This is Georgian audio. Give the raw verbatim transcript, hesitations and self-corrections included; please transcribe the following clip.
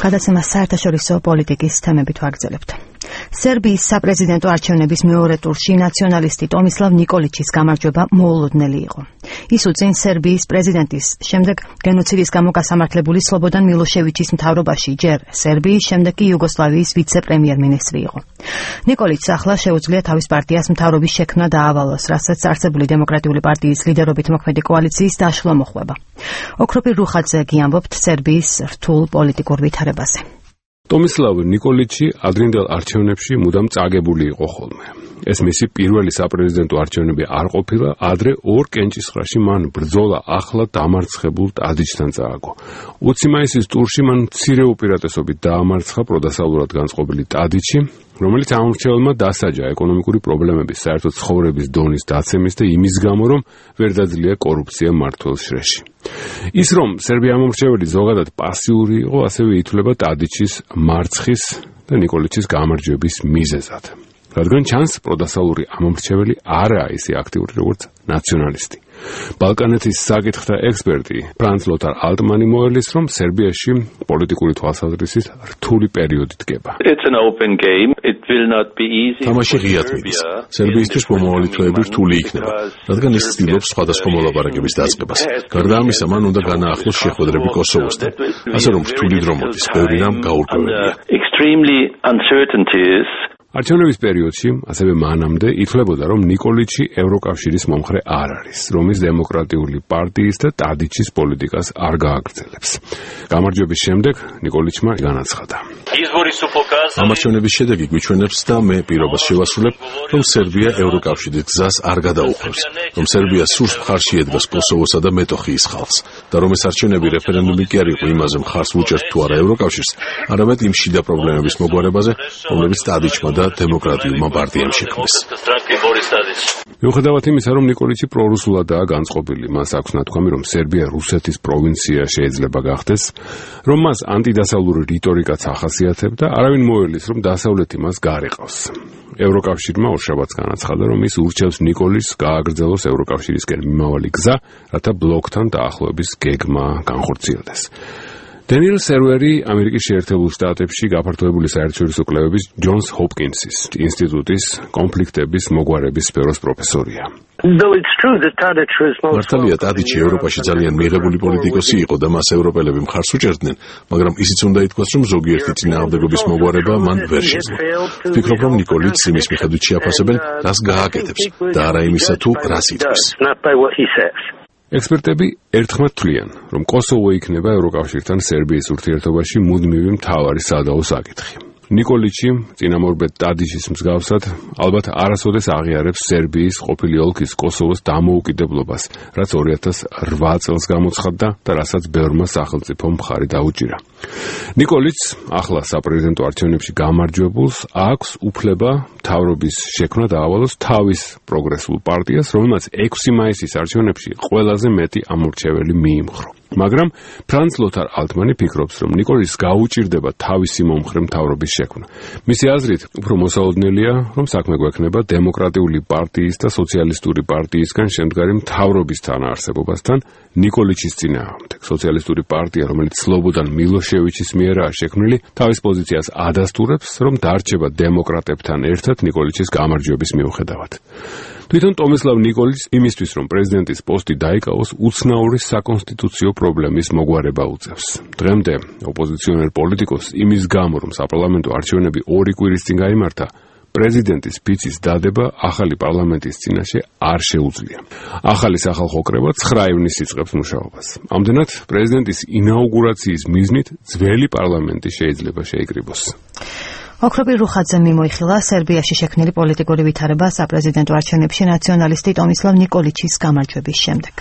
გადაცემას საერთაშორისო პოლიტიკის თემებით ვაგრძელებთ. სერბიის საპრეზიდენტო არჩევნების მეორე ტურში ნაციონალისტი ტომისლავ ნიკოლიჩის გამარჯვება მოულოდნელი იყო. ის უწინ სერბიის პრეზიდენტის შემდეგ გენოციდის გამო გასამართლებული სლობოდან მილოშევიჩის მთავრობაში ჯერ სერბიის, შემდეგ კი იუგოსლავიის ვიცე-პრემიერ-მინისტრი იყო. ნიკოლიჩს ახლა შეუძლია თავის პარტიას მთავრობის შექმნა დაავალოს, რასაც არსებული დემოკრატიული პარტიის ლიდერობით მოქმედი კოალიციის დაშლა მოჰყვება. ოქროპირ რუხაძე გიამბობთ სერბიის რთულ პოლიტიკურ ვითარებაზე. ტომისლავ ნიკოლიჩი ადრინდელ არჩევნებში მუდამ წაგებული იყო ხოლმე. ეს მისი პირველი საპრეზიდენტო არჩევნები არ ყოფილა, ადრე ორ კენჭისყრაში მან ბრძოლა ახლა დამარცხებულ ტადიჩთან წააგო. ოცი მაისის ტურში მან მცირე უპირატესობით დაამარცხა პროდასავლურად განწყობილი ტადიჩი, რომელიც ამორჩეველმა დასაჯა ეკონომიკური პრობლემების, საერთო ცხოვრების დონის დაცემის და იმის გამო, რომ ვერ დაძლია კორუფცია მმართველ შრეში. ის რომ სერბია ამორჩეველი ზოგადად პასიური იყო, ასევე ითვლება ტადიჩის მარცხის და ნიკოლიჩის გამარჯვების მიზეზად. რადგან ჩანს პროდასალური ამომრჩეველი არაა ისე აქტიური როგორც ნაციონალისტი. ბალკანეთის საკითხთა ექსპერტი ფრანც ლოთარ ალტმანი მოელის, რომ სერბიაში პოლიტიკური თვალსაზრისით რთული პერიოდი დგება. თამაში ღიად მიდის. სერბიისთვის მომავალი თვეები რთული იქნება, რადგან ის ცდილობს სხვადასხვა მოლაპარაკების დაწყებას. გარდა ამისა, მან უნდა განაახლოს შეხვედრები კოსოვოსთან. ასე რომ რთული დრო მოდის, ბევრი რამ გაურკვეველია. არჩევნების პერიოდში, ასევე მანამდე, ითვლებოდა, რომ ნიკოლიჩი ევროკავშირის მომხრე არ არის, რომ ის დემოკრატიული პარტიის და ტადიჩის პოლიტიკას არ გააგრძელებს. გამარჯვების შემდეგ ნიკოლიჩმა განაცხადა. ამ არჩევნების შედეგი გვიჩვენებს და მე პირობას შევასრულებ, რომ სერბია ევროკავშირის გზას არ გადაუხვევს, რომ სერბია სურს მხარში ედგას კოსოვოსა და მეტოხიის ხალხს, და რომ ეს არჩევნები რეფერენდუმი კი არ იყო იმაზე მხარს ვუჭერთ თუ არა ევროკავშირს, არამედ იმ შიდა პრობლემების მოგვარებაზე, რომლებიც ტადიჩმა და დემოკრატიულმა პარტიამ შექმნეს. მიუხედავად იმისა, რომ ნიკოლიჩი პრორუსულადაა განწყობილი, მას აქვს ნათქვამი, რომ სერბია რუსეთის პროვინცია შეიძლება გახდეს, რომ მას ანტიდასავლური რიტორიკაც ახასიათებდა, არავინ მოელის, რომ დასავლეთი მას გარიყავს. ევროკავშირმა ორშაბათს განაცხადა, რომ ის ურჩევს ნიკოლიჩს გააგრძელოს ევროკავშირისკენ მიმავალი გზა, რათა ბლოკთან დაახლოების გეგმა განხორციელდეს. დენიელ სერვერი ამერიკის შეერთებულ შტატებში გაფართოებული საერთაშორისო კვლევების ჯონს ჰოპკინსის ინსტიტუტის კონფლიქტების მოგვარების სფეროს პროფესორია. მართალია, ტადიჩი ევროპაში ძალიან მიღებული პოლიტიკოსი იყო და მას ევროპელები მხარს უჭერდნენ, მაგრამ ისიც უნდა ითქვას, რომ ზოგიერთი წინააღმდეგობის მოგვარება მან ვერ შეძლო. ვფიქრობ, რომ ნიკოლიჩს იმის მიხედვით შეაფასებენ, რას გააკეთებს და არა იმისა, თუ რას იტყვის. ექსპერტები ერთხმად თვლიან, რომ კოსოვო იქნება ევროკავშირთან სერბიის ურთიერთობაში მუდმივი მთავარი სადაო საკითხი. ნიკოლიჩი, წინამორბედ ტადიჩის მსგავსად, ალბათ არასოდეს აღიარებს სერბიის ყოფილი ოლქის კოსოვოს დამოუკიდებლობას, რაც ორი ათას რვა წელს გამოცხადდა და რასაც ბევრმა სახელმწიფომ მხარი დაუჭირა. ნიკოლიჩს, ახლა საპრეზიდენტო არჩევნებში გამარჯვებულს, აქვს უფლება მთავრობის შექმნა დაავალოს თავის პროგრესულ პარტიას, რომელმაც ექვსი მაისის არჩევნებში ყველაზე მეტი ამორჩეველი მიიმხრო. მაგრამ ფრანც ლოთარ ალტმანი ფიქრობს, რომ ნიკოლიჩს გაუჭირდება თავისი მომხრე მთავრობის შექმნა. მისი აზრით, უფრო მოსაოდნელია, რომ საქმე გვექნება დემოკრატიული პარტიის და სოციალისტური პარტიისგან შემდგარი მთავრობის თანაარსებობასთან ნიკოლიჩის წინააღმდეგ. სოციალისტური პარტია, რომელიც სლობოდან მილოშევიჩის მიერაა შექმნილი, თავის პოზიციას ადასტურებს, რომ დარჩება დემოკრატებთან ერთად ნიკოლიჩის გამარჯვების მიუხედავად. თვითონ ტომისლავ ნიკოლიჩს იმისთვის, რომ პრეზიდენტის პოსტი დაიკავოს, უცნაური საკონსტიტუციო პრობლემის მოგვარება უწევს. დღემდე ოპოზიციონერ პოლიტიკოსს იმის გამო, რომ საპარლამენტო არჩევნები ორი კვირის წინ გაიმართა, პრეზიდენტის ფიცის დადება ახალი პარლამენტის წინაშე არ შეუძლია. ახალი სახალხო კრება ცხრა ივნისს იწყებს მუშაობას. ამდენად, პრეზიდენტის ინაუგურაციის მიზნით ძველი პარლამენტი შეიძლება შეიკრიბოს. ოქროპირ რუხაძემ მიმოიხილა სერბიაში შექმნილი პოლიტიკური ვითარება საპრეზიდენტო არჩევნებში ნაციონალისტი ტომისლავ ნიკოლიჩის გამარჯვების შემდეგ.